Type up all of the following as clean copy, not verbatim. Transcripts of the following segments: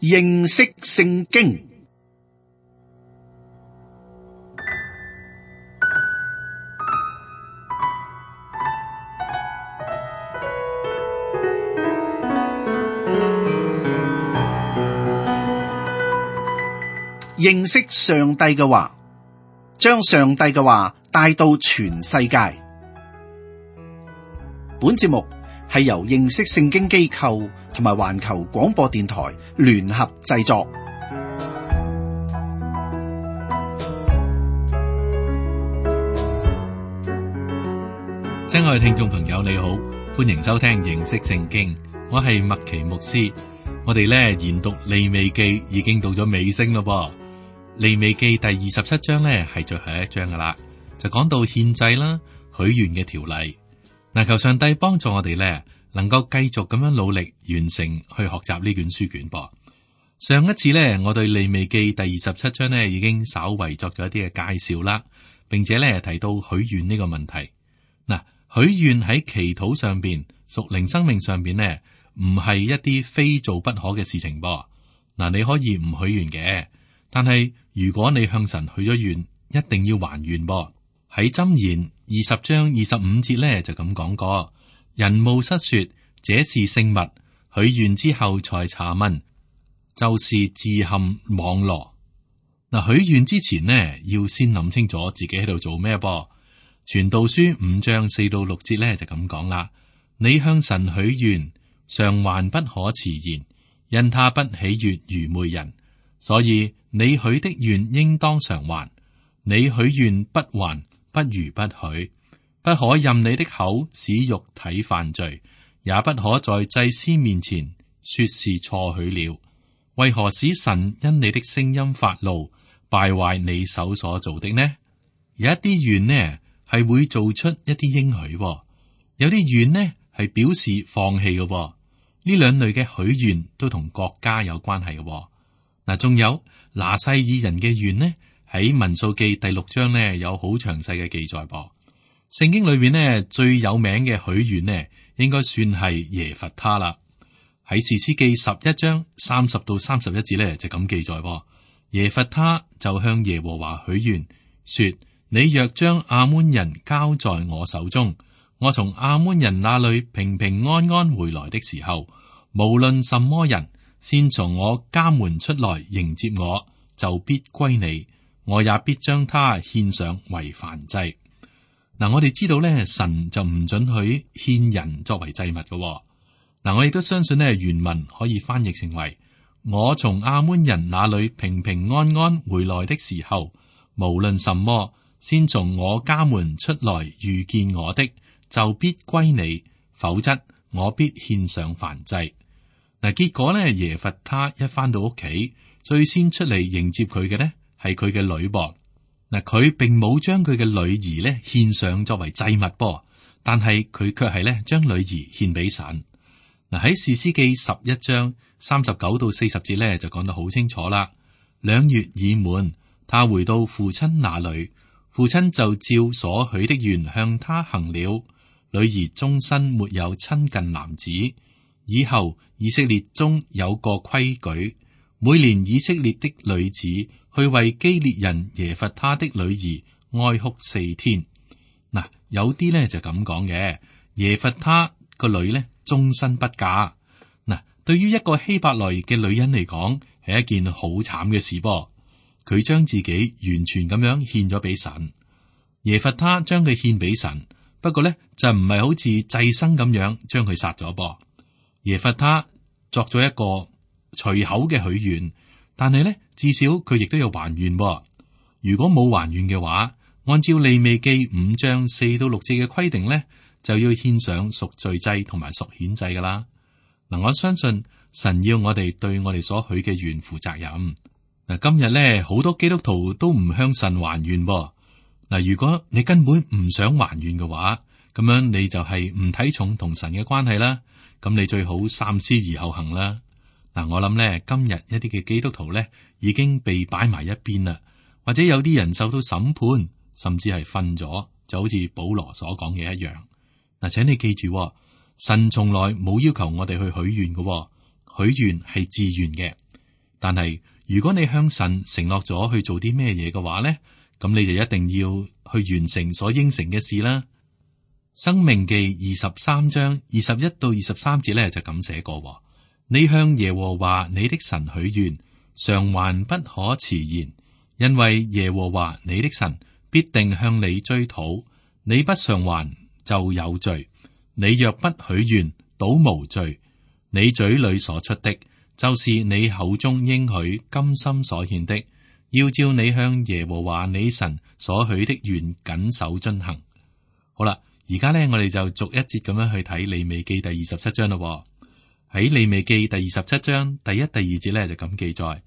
認識聖經。認識上帝嘅話，將上帝嘅話帶到全世界。本節目係由認識聖經機構同埋環球廣播電台聯合製作。親愛嘅聽眾朋友，你好，歡迎收聽認識聖經，我係麥奇牧師。我哋研讀利未記已經到咗尾聲咯噃。利未記第27章係最後一章噶啦，就講到獻祭啦、許願嘅條例。求上帝幫助我哋能夠繼續咁樣努力完成去學習呢卷書卷噃。上一次我對利未記第27章已經稍為作咗一啲嘅介紹啦，並且提到許願呢個問題。許願喺祈禱上邊、屬靈生命上邊唔係一啲非做不可嘅事情噃。你可以唔許願嘅，但係如果你向神許咗願，一定要還願噃。喺箴言20章25節就咁講過：人冒失說這是聖物，許願之後才查問，就是自陷網羅。許願之前要先諗清楚自己喺度做咩噃。傳道書5章4到6節就咁講啦：你向神許願，償還不可遲延，因他不喜悅愚昧人，所以你許的願應當償還。你許願不還，不如不許。不可任你的口使肉體犯罪，也不可在祭司面前說是錯許了。為何使神因你的聲音發怒，敗壞你手所做的呢？有一啲願係會做出一啲應許，有啲願係表示放棄嘅。呢兩類嘅許願都同國家有關係嘅。仲有拿細耳人嘅願喺民數記第6章有好詳細嘅記載噃。聖經裏邊最有名嘅許願應該算係耶弗他啦。喺士師記11章30到31節就咁記載，耶弗他就向耶和華許願說：你若將亞捫人交在我手中，我從亞捫人那裏平平安安回來的時候，無論什麼人先從我家門出來迎接我，就必歸你，我也必將他獻上為燔祭。我哋知道神就唔准許獻人作為祭物嘅。我亦都相信原文可以翻譯成為：我從亞捫人那裏平平安安回來的時候，無論什麼先從我家門出來遇見我的，就必歸你，否則我必獻上燔祭。結果耶弗他一翻到屋企，最先出嚟迎接佢嘅係佢嘅女噃。佢並冇將佢嘅女兒獻上作為祭物噃，但係佢卻係將女兒獻俾神。喺士師記11章39到40節就講得好清楚啦。2月已滿，他回到父親那裏，父親就照所許的願向他行了。女兒終身沒有親近男子。以後以色列中有個規矩，每年以色列的女子去為基列人耶弗他的女兒哀哭4天。有啲就咁講嘅，耶弗他個女終身不嫁。對於一個希伯來嘅女人嚟講，係一件好慘嘅事噃。佢將自己完全咁樣獻咗俾神。耶弗他將佢獻俾神，不過就唔係好似祭牲咁樣將佢殺咗噃。耶弗他作咗一個隨口嘅許願，但係至少佢亦都有還願噃。如果冇還願嘅話，按照利未記5章4到6節嘅規定就要獻上贖罪祭同埋贖愆祭噶啦。我相信神要我哋對我哋所許嘅願負責任。今日好多基督徒都唔向神還願噃。如果你根本唔想還願嘅話，咁樣你就係唔睇重同神嘅關係啦。咁你最好三思而後行啦。我諗今日一啲嘅基督徒已經被擺埋一邊啦，或者有啲人受到審判，甚至係瞓咗，就好似保羅所講嘅一樣。請你記住，神從來冇要求我哋去許願嘅，許願係自願嘅。但係如果你向神承諾咗去做啲咩嘢嘅話咧，咁你就一定要去完成所應承嘅事啦。申命記23章21到23節咧就咁寫過：你向耶和華你的神許願，償還不可遲延，因為耶和華你的神必定向你追討，你不償還就有罪。你若不許願，倒無罪。你嘴裏所出的，就是你口中應許甘心所獻的，要照你向耶和華你神所許的願謹守遵行。好啦，而家呢，我哋就逐一節咁樣去睇利未記第27章咯。喺利未記第27章第1、第2節呢，就咁記載：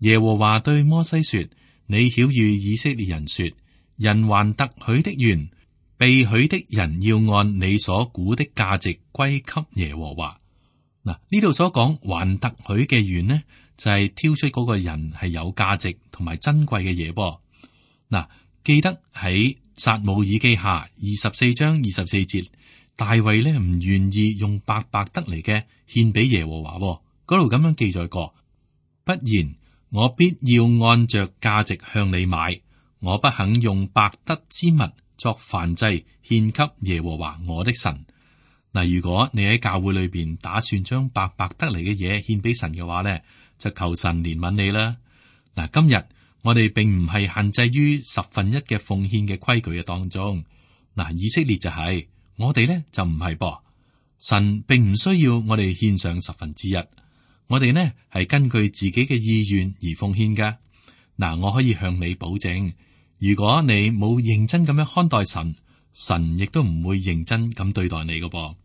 耶和華對摩西說，你曉諭以色列人說，人還特許的願，被許的人要按你所估的價值歸給耶和華。嗱，呢度所講還特許嘅願呢，就係挑出嗰個人係有價值同埋珍貴嘅嘢噃。嗱，記得喺撒母耳記下24章24節，大衛呢唔願意用白白得嚟嘅獻俾耶和華，嗰度咁樣記載過：不然，我必要按着價值向你買，我不肯用白得之物作燔祭獻給耶和華我的神。嗱，如果你喺教會裏邊打算將白白得嚟嘅嘢獻俾神嘅話呢，就求神憐憫你啦。嗱，今日我哋並唔係限制於1/10嘅奉獻嘅規矩嘅當中。嗱，以色列就係，我哋呢就唔係噃。神並唔需要我哋獻上1/10，我哋呢係根據自己嘅意願而奉獻噶。嗱，我可以向你保證，如果你冇認真咁樣看待神，神亦都唔會認真咁對待你噶噃。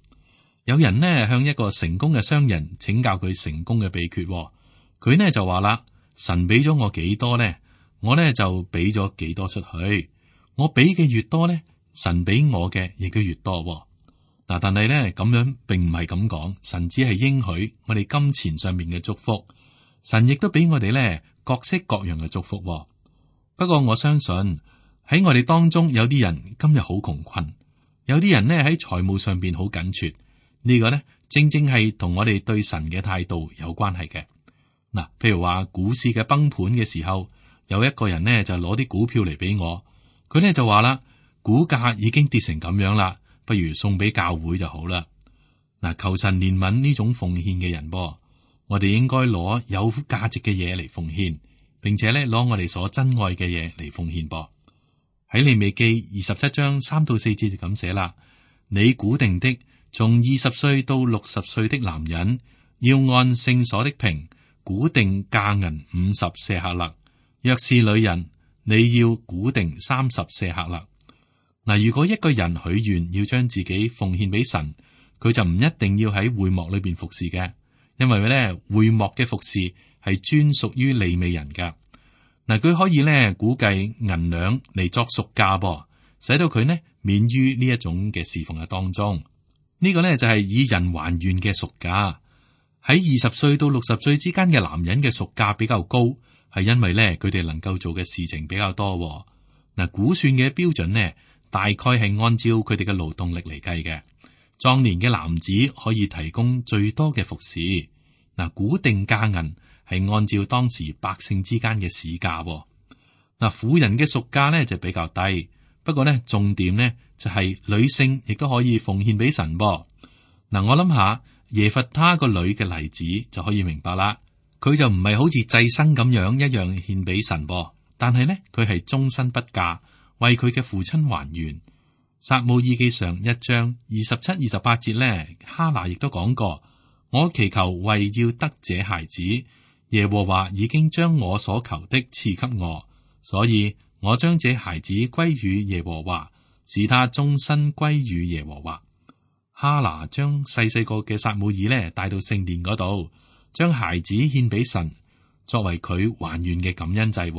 有人呢向一個成功嘅商人請教佢成功嘅秘訣，佢呢就話啦：神俾咗我幾多呢？我呢就俾咗幾多出去。我俾嘅越多呢，神俾我嘅亦都越多。嗱，但係呢咁樣並唔係咁講，神只係應許我哋金錢上面嘅祝福，神亦都俾我哋呢各式各樣嘅祝福。不過我相信喺我哋當中有啲人今日好窮困，有啲人呢喺財務上邊好緊缺。呢個呢，正正係同我哋對神嘅態度有關係嘅。嗱，譬如話股市嘅崩盤嘅時候，有一個人呢就攞啲股票嚟俾我，佢呢就話啦，股價已經跌成咁樣啦，不如送俾教會就好啦。嗱，求神憐憫呢種奉獻嘅人噃，我哋應該攞有價值嘅嘢嚟奉獻，並且呢攞我哋所珍愛嘅嘢嚟奉獻噃。喺利未記27章3到4節就咁寫啦：你估定的，從20歲到60歲的男人，要按聖所的平估定價銀50舍客勒；若是女人，你要估定30舍客勒。嗱，如果一個人許願要將自己奉獻俾神，佢就唔一定要喺會幕裏邊服侍嘅，因為咧會幕嘅服侍係專屬於利未人噶。嗱，佢可以咧估計銀兩嚟作贖價噃，使到佢呢免於呢一種嘅侍奉嘅當中。呢個呢就係以人還願嘅贖價。喺20歲到60歲之間嘅男人嘅贖價比較高，係因為呢佢哋能夠做嘅事情比較多。嗱，估算嘅標準呢，大概係按照佢哋嘅勞動力嚟計嘅。壯年嘅男子可以提供最多嘅服侍。嗱，估定價銀係按照當時百姓之間嘅市價。嗱，婦人嘅贖價呢就比較低。不過呢，重點呢就係女性亦都可以奉獻俾神噃。嗱，我諗下耶弗他個女嘅例子就可以明白啦。佢就唔係好似祭牲咁樣一樣獻俾神噃，但係呢佢係終身不嫁，為佢嘅父親還願。撒母耳記上1章27、28節呢，哈拿亦都講過：我祈求為要得這孩子，耶和華已經將我所求的賜給我，所以我將這孩子歸於耶和華，使他終身歸於耶和華。哈拿將細個嘅撒母耳呢帶到聖殿嗰度，將孩子獻俾神，作為佢還願嘅感恩祭。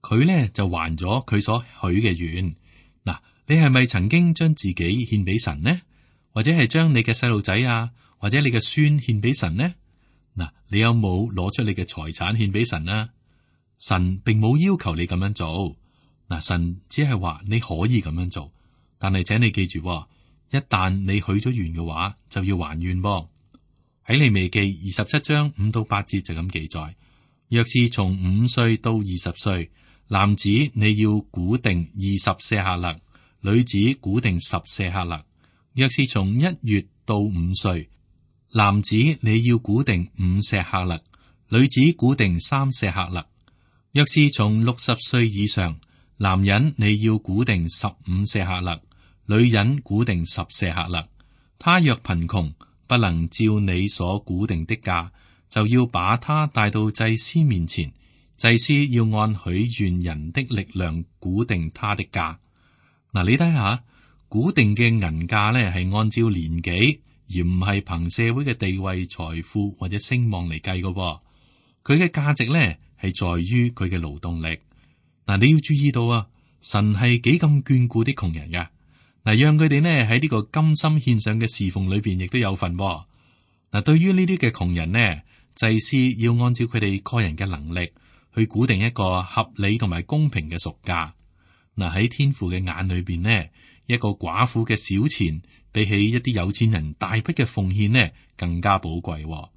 佢呢就還咗佢所許嘅願。嗱，你係咪曾經將自己獻俾神呢？或者係將你嘅細路仔啊，或者你嘅孫獻俾神呢？嗱，你有冇攞出你嘅財產獻俾神啊？神並冇要求你咁樣做。嗱，神只係話你可以咁樣做，但係請你記住，一旦你許咗願嘅話，就要還願噃。喺利未記27章5到8節就咁記載：若是從5歲到20歲，男子你要估定20舍客勒，女子估定10舍客勒。若是從1月到5歲，男子你要估定5舍客勒，女子估定3舍客勒。若是從60歲以上，男人你要估定15舍客勒，女人估定10舍客勒。他若貧窮，不能照你所估定的價，就要把他帶到祭司面前，祭司要按許願人的力量估定他的價。嗱，你睇下，估定嘅銀價呢係按照年紀，而唔係憑社會嘅地位、財富或者聲望嚟計嘅。佢嘅價值呢係在於佢嘅勞動力。嗱，你要注意到啊，神係幾咁眷顧啲窮人噶。嗱，讓佢哋呢喺呢個甘心獻上嘅侍奉裏邊，亦都有份。嗱，對於呢啲嘅窮人呢，祭司要按照佢哋個人嘅能力去估定一個合理同埋公平嘅贖價。嗱，喺天父嘅眼裏邊呢，一個寡婦嘅小錢，比起一啲有錢人大筆嘅奉獻呢，更加寶貴。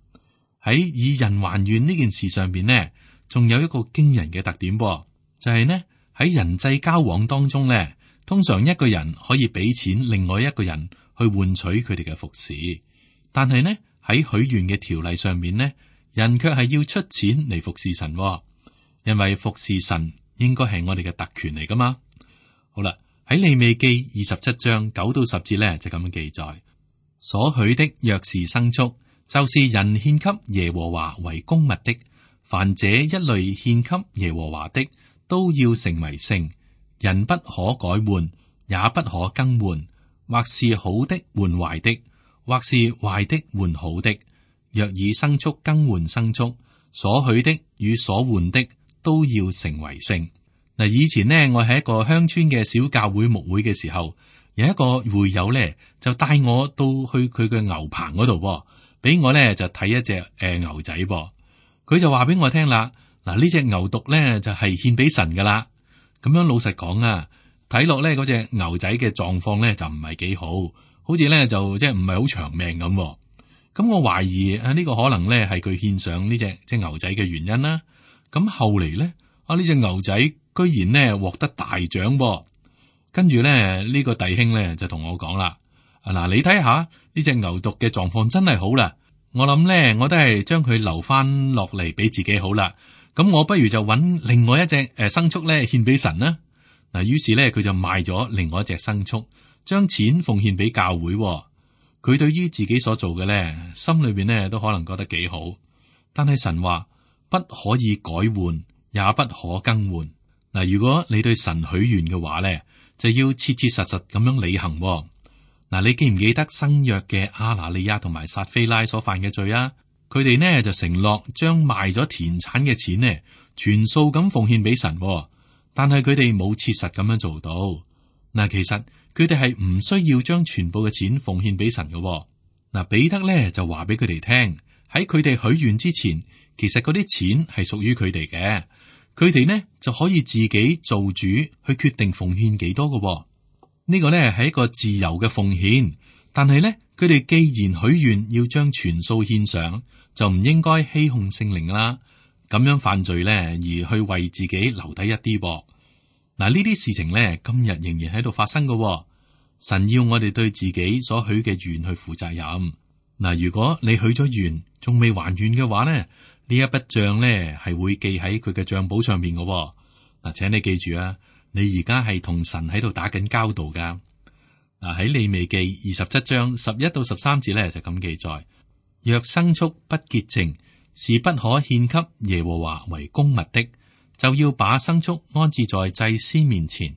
喺以人還願呢件事上邊呢，仲有一個驚人嘅特點，就係呢喺人際交往當中呢，通常一個人可以俾錢另外一個人去換取佢哋嘅服侍，但係呢喺許願嘅條例上面呢，人卻係要出錢嚟服侍神，因為服侍神應該係我哋嘅特權嚟噶嘛。好啦，喺利未記27章9到10節呢，就咁樣記載：所許的若是牲畜，就是人獻給耶和華為供物的，凡這一類獻給耶和華的，都要成為聖。人不可改換，也不可更換，或是好的換壞的，或是壞的換好的。若以牲畜更換牲畜，所許的與所換的都要成為聖。嗱，以前呢，我喺一個鄉村嘅小教會牧會嘅時候，有一個會友咧就帶我到去佢嘅牛棚嗰度，俾我咧就睇一隻牛仔噃。佢就話俾我聽啦，嗱，呢隻牛犢咧就係獻俾神噶啦。咁樣老實講啊，睇落咧嗰隻牛仔嘅狀況咧就唔係幾好，好似咧就即係唔係好長命咁。咁我懷疑呢個可能咧係佢獻上呢隻牛仔嘅原因啦。咁後嚟咧呢隻牛仔居然咧獲得大獎噃。跟住咧呢個弟兄咧就同我講啦，嗱，你睇下呢隻牛犢嘅狀況真係好啦，我諗咧我都係將佢留翻落嚟俾自己好啦。咁我不如就揾另外一隻牲畜咧獻俾神啦。嗱，於是咧佢就賣咗另外一隻牲畜，將錢奉獻俾教會。佢對於自己所做嘅咧，心裏邊咧都可能覺得幾好。但係神話不可以改換，也不可更換。嗱，如果你對神許願嘅話咧，就要切切實實咁樣履行。嗱，你記唔記得新約嘅亞拿尼亞同埋撒非拉所犯嘅罪啊？佢哋呢就承諾將賣咗田產嘅錢呢全數咁奉獻俾神，但係佢哋冇切實咁樣做到。嗱，其實佢哋係唔需要將全部嘅錢奉獻俾神嘅。嗱，彼得呢就話俾佢哋聽，喺佢哋許願之前，其實嗰啲錢係屬於佢哋嘅，佢哋呢就可以自己做主去決定奉獻幾多嘅。呢個呢係一個自由嘅奉獻，但係呢佢哋既然許願要將全數獻上，就唔應該欺哄聖靈啦，咁樣犯罪咧，而去為自己留低一啲噃。嗱，呢啲事情咧，今日仍然喺度發生㗎。神要我哋對自己所許嘅願去負責任。嗱，如果你許咗願仲未還願嘅話咧，呢一筆賬咧係會記喺佢嘅賬簿上面㗎。嗱，請你記住啊，你而家係同神喺度打緊交道噶。嗱，喺利未記27章11到13節咧就咁記載。若牲畜不潔淨，是不可獻給耶和華為供物的，就要把牲畜安置在祭司面前，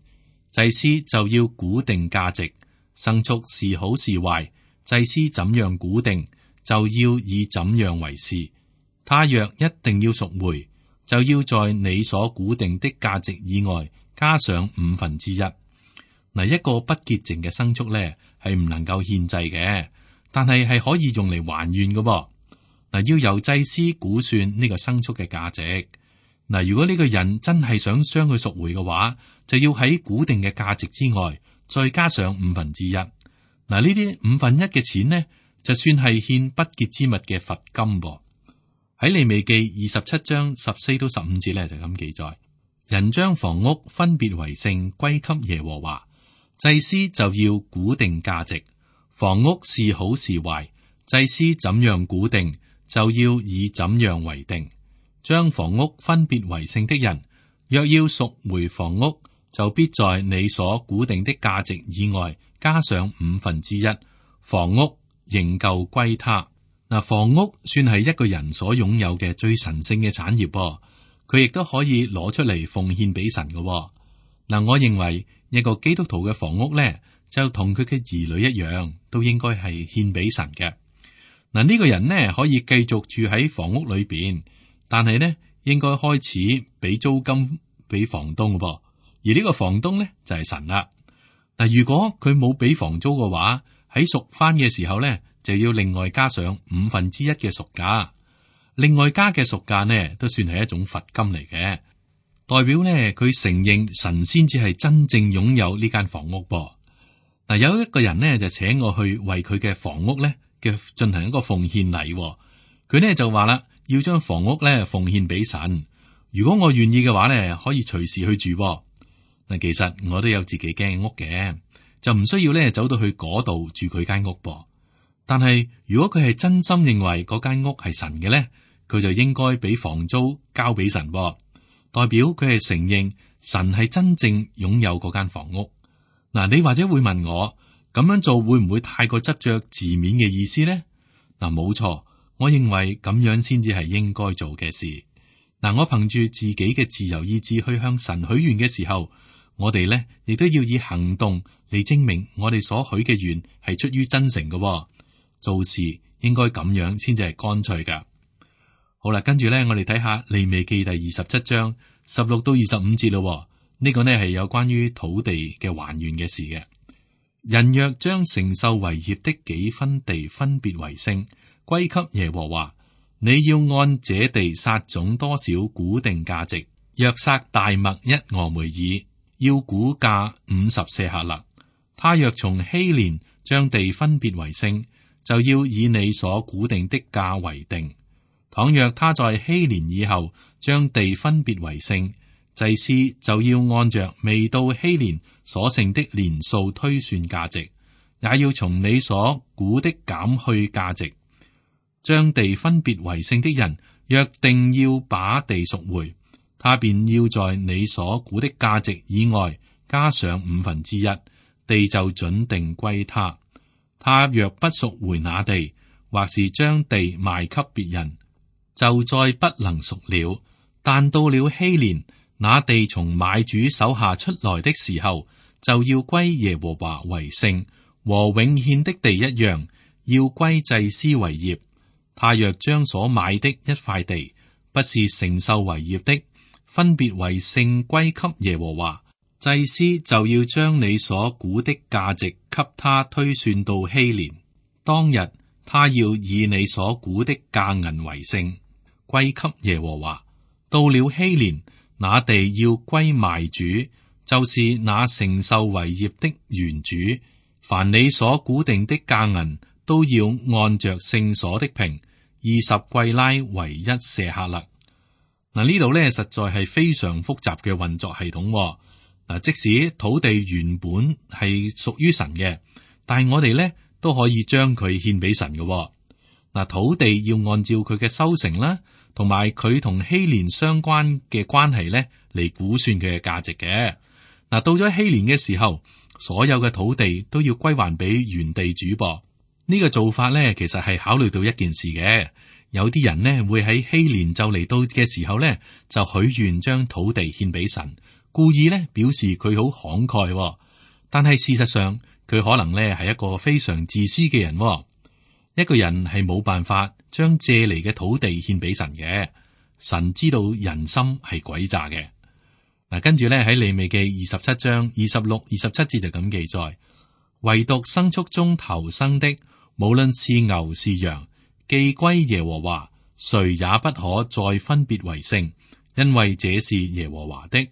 祭司就要估定價值。牲畜是好是壞，祭司怎樣估定，就要以怎樣為是。他若一定要贖回，就要在你所估定的價值以外加上1/5。嗱，一個不潔淨嘅牲畜咧係唔能夠獻祭嘅。但係可以用嚟還願嘅噃。嗱，要由祭司估算呢個牲畜嘅價值。嗱，如果呢個人真係想將佢贖回嘅話，就要喺估定嘅價值之外再加上1/5。嗱，呢啲1/5嘅錢呢，就算係獻不潔之物嘅罰金噃。喺利未記27章14到15節咧就咁記載：人將房屋分別為聖歸給耶和華，祭司就要估定價值。房屋是好是壞，祭司怎樣估定，就要以怎樣為定。將房屋分別為聖的人，若要贖回房屋，就必在你所估定的價值以外加上1/5，房屋仍舊歸他。嗱，房屋算係一個人所擁有嘅最神聖嘅產業噃，佢亦都可以攞出嚟奉獻俾神嘅。嗱，我認為一個基督徒嘅房屋咧，就同佢嘅兒女一樣，都應該係獻俾神嘅。嗱，呢個人呢，可以繼續住喺房屋裏邊，但係呢，應該開始俾租金俾房東嘅噃，而呢個房東呢，就係神啦。嗱，如果佢冇俾房租嘅話，喺贖翻嘅時候呢，就要另外加上1/5嘅贖價，另外加嘅贖價呢，都算係一種罰金嚟嘅，代表呢，佢承認神先至係真正擁有呢間房屋噃。嗱，有一個人呢，就請我去為佢嘅房屋呢嘅進行一個奉獻禮，佢呢就話啦，要將房屋呢奉獻俾神，如果我願意嘅話呢，可以隨時去住。嗱，其實我都有自己間屋嘅，就唔需要呢走到去嗰度住佢間屋噃。但係如果佢係真心認為嗰間屋係神嘅咧，佢就應該俾房租交俾神，代表佢係承認神係真正擁有嗰間房屋。嗱，你或者會問我，咁樣做會唔會太過執着字面嘅意思咧？嗱，冇錯，我認為咁樣先至係應該做嘅事。嗱，我憑住自己嘅自由意志去向神許願嘅時候，我哋咧亦都要以行動嚟證明我哋所許嘅願係出於真誠嘅。做事應該咁樣先至係乾脆噶。好啦，跟住咧，我哋睇下利未記第27章16到25節咯。呢個呢係有關於土地嘅還願嘅事嘅。人若將承受為業的幾分地分別為聖歸給耶和華，你要按這地撒種多少估定價值，若撒大麥1俄梅爾，要估價50舍客勒。他若從希連將地分別為聖，就要以你所估定的價為定。倘若他在希年以後將地分別為聖，祭司就要按着未到希年所剩的年數推算價值，也要從你所估的減去價值。將地分別為聖的人，若定要把地贖回，他便要在你所估的價值以外加上1/5，地就準定歸他。他若不贖回那地，或是將地賣給別人，就再不能贖了。但到了希年，那地從買主手下出來的時候，就要歸耶和華為聖，和永獻的地一樣，要歸祭司為業。他若將所買的一塊地，不是承受為業的，分別為聖歸給耶和華，祭司就要將你所估的價值給他推算到希年。當日他要以你所估的價銀為聖，歸給耶和華。到了希年，那地要歸賣主，就是那承受為業的原主。凡你所估定的價銀，都要按着聖所的平20貴拉為1舍客勒。嗱，呢度咧實在係非常複雜嘅運作系統。嗱，即使土地原本係屬於神嘅，但係我哋咧都可以將佢獻俾神嘅。嗱，土地要按照佢嘅收成啦，同埋佢同希年相關嘅關係咧嚟估算佢嘅價值嘅。嗱，到咗希年嘅時候，所有嘅土地都要歸還俾原地主噃。呢個做法咧，其實係考慮到一件事嘅。有啲人呢會喺希年就嚟到嘅時候咧，就許願將土地獻俾神。故意咧表示佢好慷慨，但係事實上佢可能咧係一個非常自私嘅人。一個人係冇辦法將借嚟嘅土地獻俾神嘅，神知道人心係詭詐嘅。嗱，跟住咧喺利未記27章26、27節就咁記載，唯獨牲畜中頭生的，無論是牛是羊，既歸耶和華，誰也不可再分別為聖，因為這是耶和華的。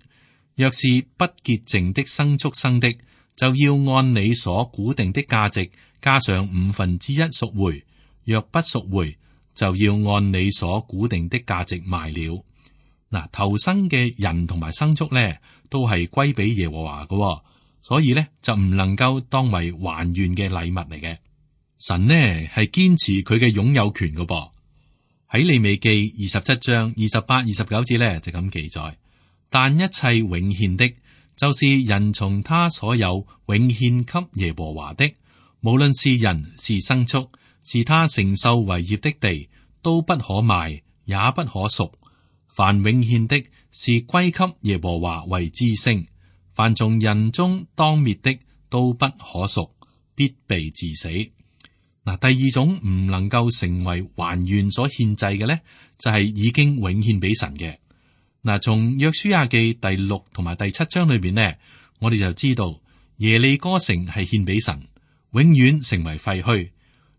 若是不潔淨的牲畜生的，就要按你所估定的價值加上1/5贖回；若不贖回，就要按你所估定的價值賣了。嗱，頭生嘅人同埋牲畜咧，都係歸俾耶和華嘅，所以咧就唔能夠當為還願嘅禮物嚟嘅。神呢係堅持佢嘅擁有權嘅噃。喺利未記27章28、29節咧就咁記載，但一切永獻的，就是人從他所有永獻給耶和華的，無論是人是牲畜，是他承受為業的地，都不可賣，也不可贖。凡永獻的，是歸給耶和華為之星；凡從人中當滅的，都不可贖，必被治死。嗱，第二種唔能夠成為還願所獻祭嘅咧，就係已經永獻俾神嘅。嗱，從約書亞記第6同埋第7章裏邊呢，我哋就知道耶利哥城係獻俾神，永遠成為廢墟；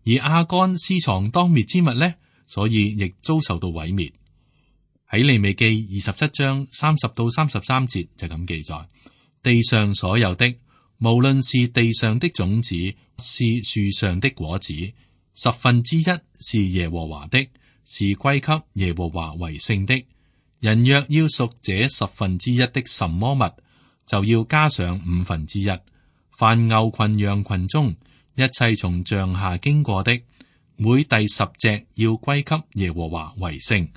而亞干私藏當滅之物咧，所以亦遭受到毀滅。喺利未記27章30到33節就咁記載，地上所有的，無論是地上的種子，是樹上的果子，1/10是耶和華的，是歸給耶和華為聖的。人若要贖這1/10的什麼物，就要加上1/5。凡牛群羊群中一切從杖下經過的，每第10隻要歸給耶和華為聖。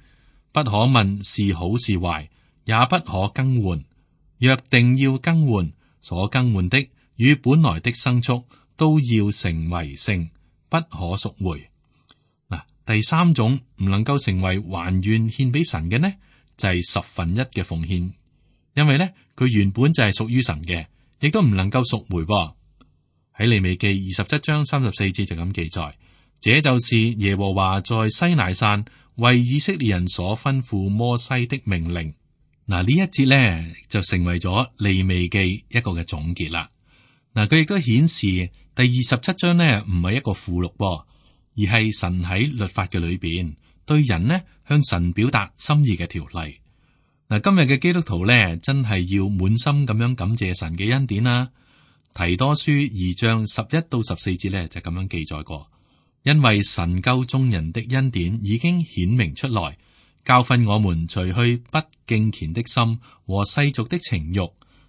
不可問是好是壞，也不可更換。若定要更換，所更換的與本來的牲畜都要成為聖，不可贖回。嗱，第三種唔能夠成為還願獻俾神嘅呢，就係1/10嘅奉獻，因為咧佢原本就係屬於神嘅，亦都唔能夠贖回噃。喺利未記27章34節就咁記載，這就是耶和華在西乃山為以色列人所吩咐摩西的命令。嗱，呢一節咧就成為咗利未記一個嘅總結啦。嗱，佢亦都顯示第27章呢唔係一個附錄噃，而係神喺律法嘅裏邊對人呢向神表達心意嘅條例。嗱，今日嘅基督徒咧真係要滿心咁樣感謝神嘅恩典啦。提多書2章11到14節咧就咁樣記載過。因為神救眾人的恩典已經顯明出來，教訓我們除去不敬虔的心和世俗的情欲，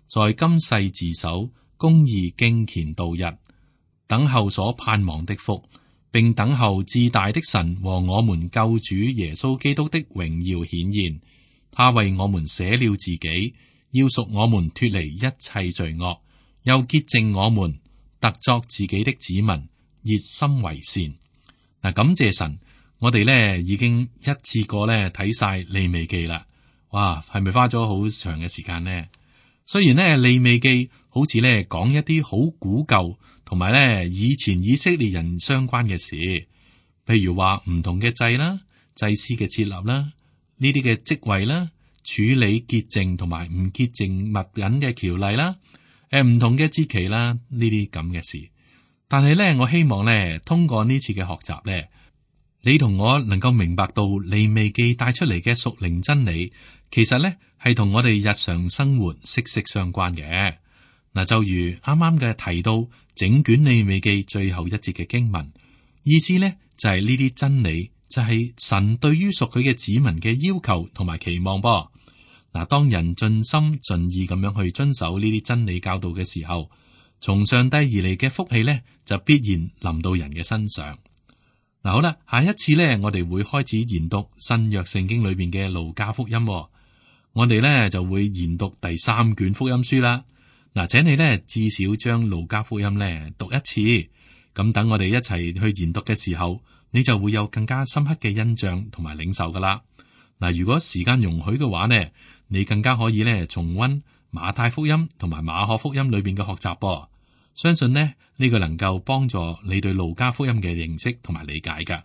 在今世自守，公義敬虔度日，等候所盼望的福，並等候至大的神和我們救主耶穌基督的榮耀顯現。他為我們捨了自己，要贖我們脫離一切罪惡，又潔淨我們，特作自己的子民，熱心為善。嗱，感謝神，我哋咧已經一次過咧睇晒利未記啦。哇，係咪花咗好長嘅時間呢？雖然咧利未記好似咧講一啲好古舊同埋咧以前以色列人相關嘅事，譬如話唔同嘅祭啦、祭司嘅設立啦、呢啲嘅職位啦、處理潔淨同埋唔潔淨物品嘅條例啦、唔同嘅節期啦，呢啲咁嘅事。但係咧，我希望咧，通過呢次嘅學習咧，你同我能夠明白到利未記帶出嚟嘅屬靈真理，其實咧係同我哋日常生活息息相關嘅。嗱，就如啱啱嘅提到整卷利未記最後一節嘅經文，意思咧就係呢啲真理，就係神對於屬佢嘅子民嘅要求同埋期望噃。嗱，當人盡心盡意咁樣去遵守呢啲真理教導嘅時候，從上帝而嚟嘅福氣咧，就必然臨到人嘅身上。嗱，好啦，下一次咧，我哋會開始研讀新約聖經裏邊嘅路加福音。我哋咧就會研讀第3卷福音書啦。嗱，請你咧至少將路加福音咧讀一次，咁等我哋一齊去研讀嘅時候，你就會有更加深刻嘅印象同埋領受噶啦。嗱，如果時間容許嘅話呢，你更加可以咧重溫馬太福音同埋馬可福音裏邊嘅學習噃。相信呢個能夠幫助你對路加福音嘅認識同埋理解噶。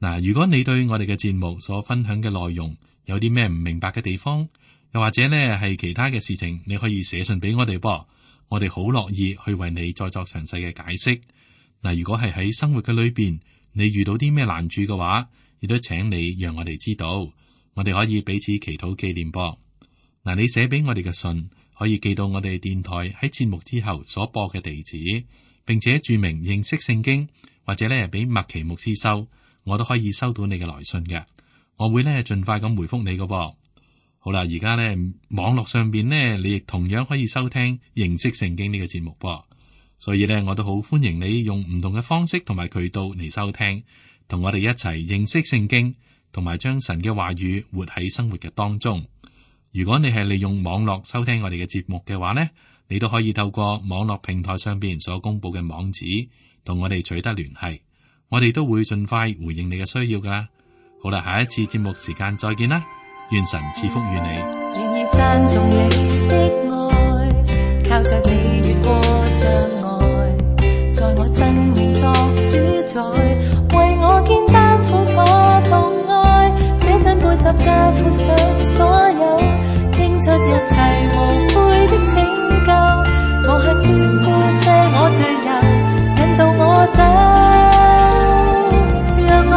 嗱，如果你對我哋嘅節目所分享嘅內容有啲咩唔明白嘅地方，又或者呢係其他嘅事情，你可以寫信俾我哋噃，我哋好樂意去為你再作詳細嘅解釋。嗱，如果係喺生活嘅裏邊，你遇到啲咩難處嘅話，亦都請你讓我哋知道，我哋可以彼此祈禱紀念噃。嗱，你寫俾我哋嘅信可以寄到我哋電台喺節目之後所播嘅地址，並且注明認識聖經，或者咧俾麥奇牧師收，我都可以收到你嘅來信嘅，我會咧盡快咁回覆你嘅噃。好啦，而家咧網絡上邊咧，你亦同樣可以收聽認識聖經呢個節目噃。所以咧，我都好歡迎你用唔同嘅方式同埋渠道嚟收聽，同我哋一齊認識聖經，同埋將神嘅話語活喺生活嘅當中。如果你係利用網絡收聽我哋嘅節目嘅話呢，你都可以透過網絡平台上邊所公布嘅網址同我哋取得聯繫，我哋都會盡快回應你嘅需要噶。好啦，下一次節目時間再見啦，願神賜福於你。願意讚頌你的愛，靠着你越過障礙，在我生命作主宰，為我肩擔苦楚痛哀，捨身背十架付上所有，傾出一切無悔的拯救，我吃斷過些我罪由，引導我走，讓我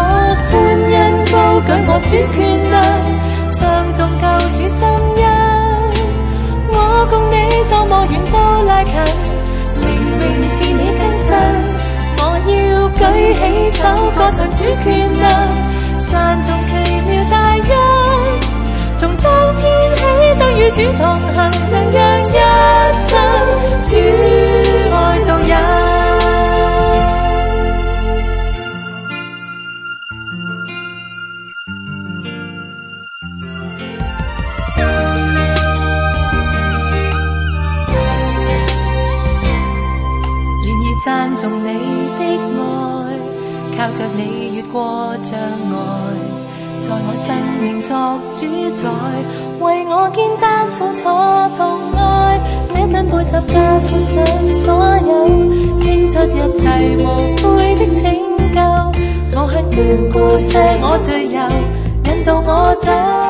歡欣高舉我主權能，唱頌救主心恩，我共你多麼遠都拉近，靈命似你更新，我要舉起手歌唱主權能，讚頌奇妙大恩，從當天起得與主同行，能讓一生主愛導引。讚頌你的愛，靠着你越過障礙，在我生命作主宰，為我肩擔苦楚痛哀，捨身背十架付上所有，傾出一切無悔的拯救，我吃斷過些我罪由，引導我走。